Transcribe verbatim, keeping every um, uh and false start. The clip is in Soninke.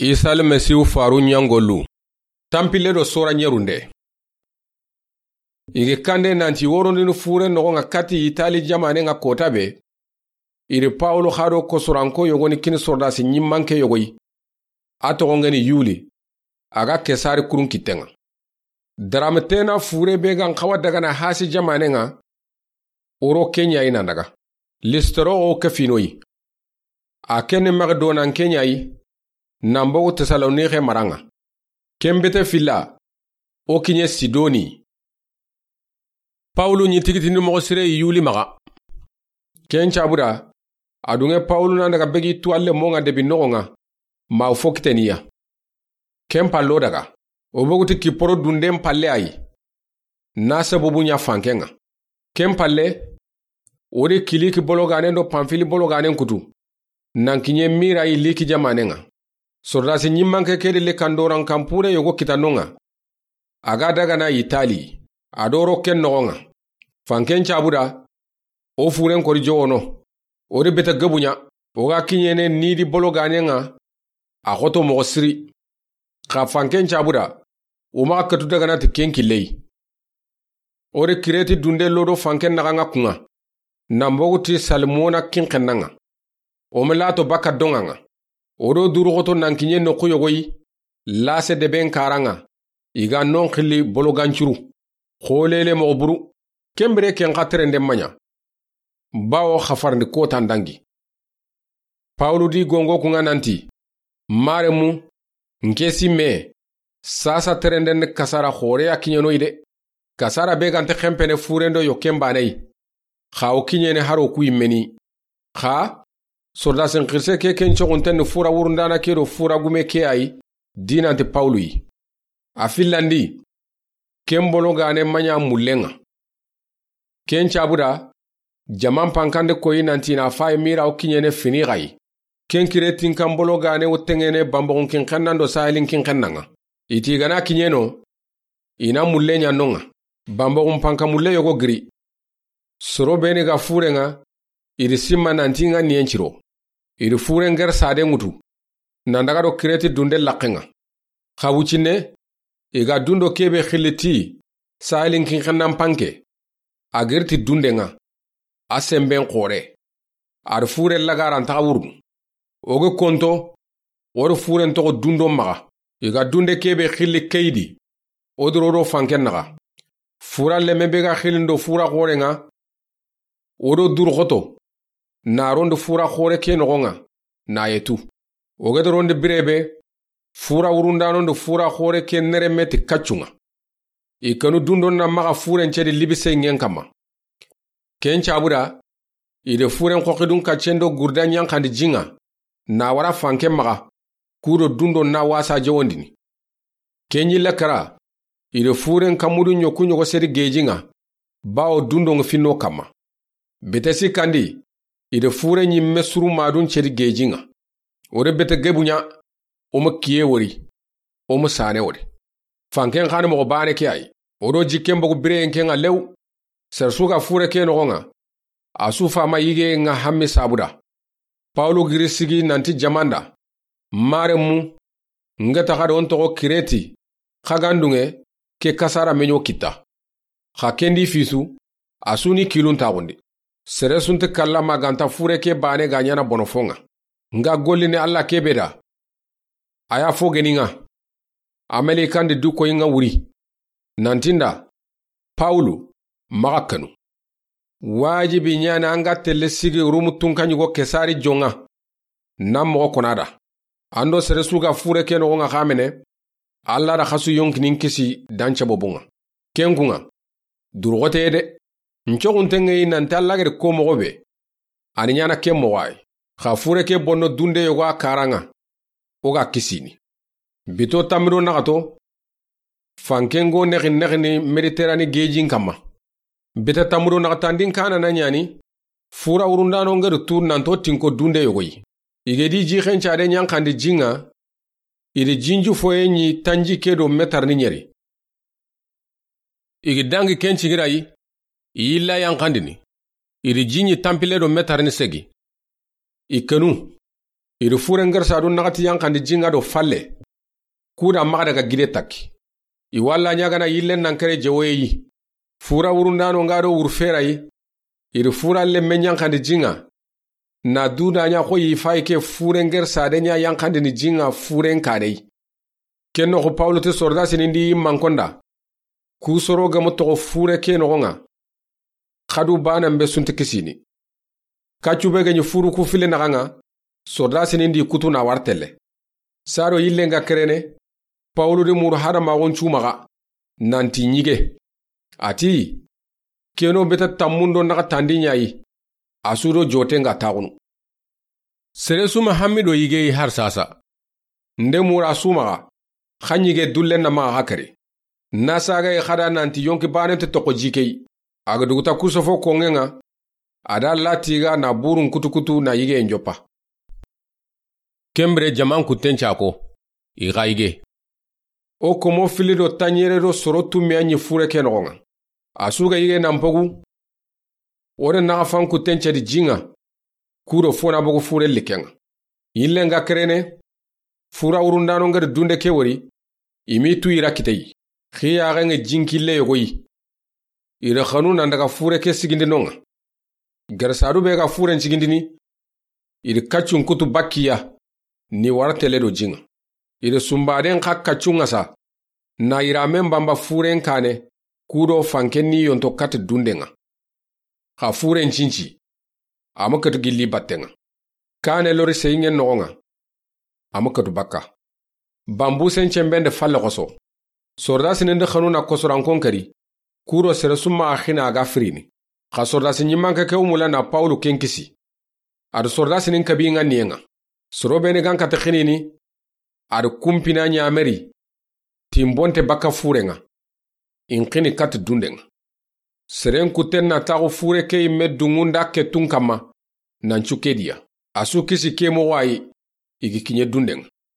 Isa Almasihu faru ɲangolu. Tanpille do sora ɲerunde. I ga kande nanti worondini fure noxo ŋa kati Itali jamaane ŋa kota be. I ri Pawulu xa do kosoranko yogo ni kini sordasi ɲimmanke yogo yi. A toxo ŋeni Yuli. A ga Kesari kurun kitten ŋa. Darame tena fure be ga n xawa daga na hasi jamaane ŋa. Oro ke ɲa yi nan daga. Listoro o ke fino yi. A ke ni Makedonanke ɲa yi. Nan bogu Tesalonixe mara ŋa. Ken bete filla. O kiɲe Sidoni. Pawulu ɲi tigitindi moxo sire yi Yuli maxa. Ken cabuda, a dunŋe Pawulu nan daga begi tuwalle mo ŋa debi noxo ŋa, ma fo kiteniya. Ken pallo daga, o bogu ti Kiporo dunden palle a yi. Na sabubu ɲa fanken ŋa. Ken palle, o di Kiliki bologanen do Panfili bologanen kutu. Nan kiɲe Mira yi Liki jamaane ŋa. Sordasi ɲimmanke ke di le kandoran kanpure yogo kita no ŋa. A ga daga na Itali, a do ro ken noxo ŋa. Fanken cabuda, o furen kori jowono. O di bete gebu ɲa, o ga kiɲene ni di bologanen ŋa, a xoto moxo siri. Xa fanken cabuda, o maxa ketu daga na ti ken kille yi. O di Kireti dunde lodo fanken naxa ŋa kun ŋa. Nan bogu ti Salmona kinxenna ŋa. O me lato baka donŋa ŋa. O do duru xoto nan kiɲe noxu yogo yi. Lase deben kara ŋa. I ga non xilli bologancuru. Xolele moxo buru. Ken bire ken xa terende ma ɲa. Bawo xafarindi kota n dangi. Pawulu di gongo kun ŋa nanti, Maremu, n ke si me, sasa terenden ni kasara xore ya kiɲeno yi de. Kasara be ga nte xenpene furendo yo ken bane yi. Xa o kiɲene haro ku yi meni. Xa, sordasin xirse ke ken coxunten ni fura wurundana ke do fura gume ke a yi, di nanti Pawulu yi. A fillandi, ken bologane ma ɲa mullen ŋa. Ken cabuda, jaman pankande koyi nanti na fayi Mira o kiɲene Finixa yi. Ken Kiretin kan bologane wo tengene Bamboxun kinxennan do Sahilin kinxennan ŋa. I ti i ga na kiɲeno, i na mulle ɲa non ŋa. Bamboxun panka mulle yogo giri. Soro beni ga furen ŋa, i di simma nanti ŋa niyen ciro. I di furen ger saden ŋutu. Nan daga do Kireti dunde laqqen ŋa. Xa wuccinne, i ga dundo kebe xilli ti, Sahilin kinxennan panke. A giri ti dunden ŋa. A senben xore. A di furen lagaran taxa wurunu. O ga konto, o di furen toxo dundo maxa. I ga dunde kebe xilli Keyidi. O di ro do fanken naxa. Fura leme be ga xillindo fura xoren ŋa. O do duru xoto. Na rondi fura xore ke noxon ŋa. Na yetu. O ga di rondi birebe. Fura wurundanon do fura xore ke nereme ti kaccun ŋa. I kanu dundo na maxa furen cedi libise ŋen kanma. Ken cabuda, i de furen xoxidun kaccen do gurda ɲanxandi jin ŋa, na wara fanken maxa, kudo dundo na wasa jawondini. Ken ɲi lakara, i de furen kamudu ɲoku ɲogo sedi gejin ŋa, bawo dundo ŋa finno kanma. Bete sikkandi, i de furen ɲimme suru madun cedi gejin ŋa. O de bete gebu ɲa, o ma kiye wori, o ma sane wori. Fanken xani moxo bane ke a yi. O do jikken bogu bireyen ke ŋa lew. Sersu ga fure ke noxon ŋa. A su fama yige ŋa hammi sabuda. Pawulu giri sigi nanti jamanda. Maremu, n ga taxa do n toxo Kireti, xa gandunŋe, ke kasara meɲo kitta. Xa kendi fisu, a su ni kilun taxundi. Sere su nti kalla ma ganta fure ke bane ga ɲana bono fon ŋa. N ga gollini Alla kebe da. A ya fo geni ŋa. A melikandi du koyi ŋa wuri. Nanti n da, Pawulu, maxa kanu. Wajibi ɲana an ga telle sigi Rumu tunka ɲigo Kesari jon ŋa. Na moxo kona da. An do sere su ga fure ke noxon ŋa xamene, Alla da xasu yonkinin kisi dan cebobun ŋa. Ken kun ŋa, duruxote de. N coxunten ŋa yi nanti Alla gedi ko moxo be. A ni ɲana ke moxo a yi. Xa fure ke bonno dunde yogo a karan ŋa. O ga kisini. Bito tammido naxato. Fanken go nexi nexini Mediterane gejin kanma. Bita tammudo naxatandin kana na ɲani, fura wurundano ŋeru tu nanto tinko dunde yogo yi. I ga di ji xencade ɲanxandi jin ŋa, i di jinju foye ɲi tanji ke do metarni ɲeri. I ga dangi ken cigira yi, i yilla yanxandini, i di ji ɲi tanpille do metarni segi. I kenu, I ri furen gersadu naxati yanxandi ji ŋa do falle. Ku da maxa daga gide takki. I walla ɲagana yillen nan kere jewoye yi. Fura wurundano ŋa do wurfera yi. I ri fura lemme ɲanxandi ji ŋa. Na duda ɲa xo yi fayi ke furen gersade ɲa yanxandini ji ŋa furen kane yi. Ken noxo Pawulu ti sordasini ndi yimmankonda. Ku soro gemu toxo fure ke noxo ŋa. Xadu bana mbe sunti kisini. Kaccu be geɲi furu ku file naxa ŋa. Sordasini ndi kutu na wartelle. Saro yillen ga kerene. Pawulu di muru hadamaxun cumaxa. Nanti ɲige. A ti, keno beta tammundo naxa tandi ɲayi. A su do joten ga taxunu. Sere suma hammi do yige yi har sasa. Nde mura sumaxa. Xa ɲige dullen na maxa xa kari. Na saga yi xada nanti yonki banen te toxo jikey. A ga duguta kusofo konŋen ŋa. A da latiga na burun kutukutu na yige njoppa. Kembire jaman kutten cako. I xa yige. O komo fili do taɲere do soro tummiya ɲi fure ke noxo ŋa. A su ga yige nan pogu. O de naxa fan kutten cedi ji ŋa. Ku do fona bogu fure likken ŋa. Yillen ga kerene. Fura wurundano ŋa di dunde ke wori. I mi tu i ra kite yi. Xiyaxen ŋa jinkille yogo yi. I ri xanu nan daga fure ke sigindino ŋa. Gersadu be ga furen sigindini. I ri kaccun kutu bakkiya. Ni wartelle do ji ŋa. I ri sumbaden xa kaccun ŋa sa. Na i ramen bamba furen kane. Ku do fanken ni yonto kati dunden ŋa. Xa furen cinci. A ma katu gilli batten ŋa. Kane lori seyinŋen noxon ŋa. A ma katu bakka. Bambusen cembende falle xoso. Sordasini ndi xanu na kosorankon kari. Ku do sere summa a xina a ga firini. Xa sordasi ɲimmanke ke wumula na Pawulu ken kisi. A do sordasinin kabi ŋa niyen ŋa. Soro beni gan kati xinini. A do kumpina ɲameri. Timbonte bakka furen ŋa. In xini kati dunden ŋa. Seren kutten na taxu fure ke yimme dungunda ke tun kamma. Nan cu ke diya. A su kisi ke moxo ayi. I gi kiɲe dunden ŋa.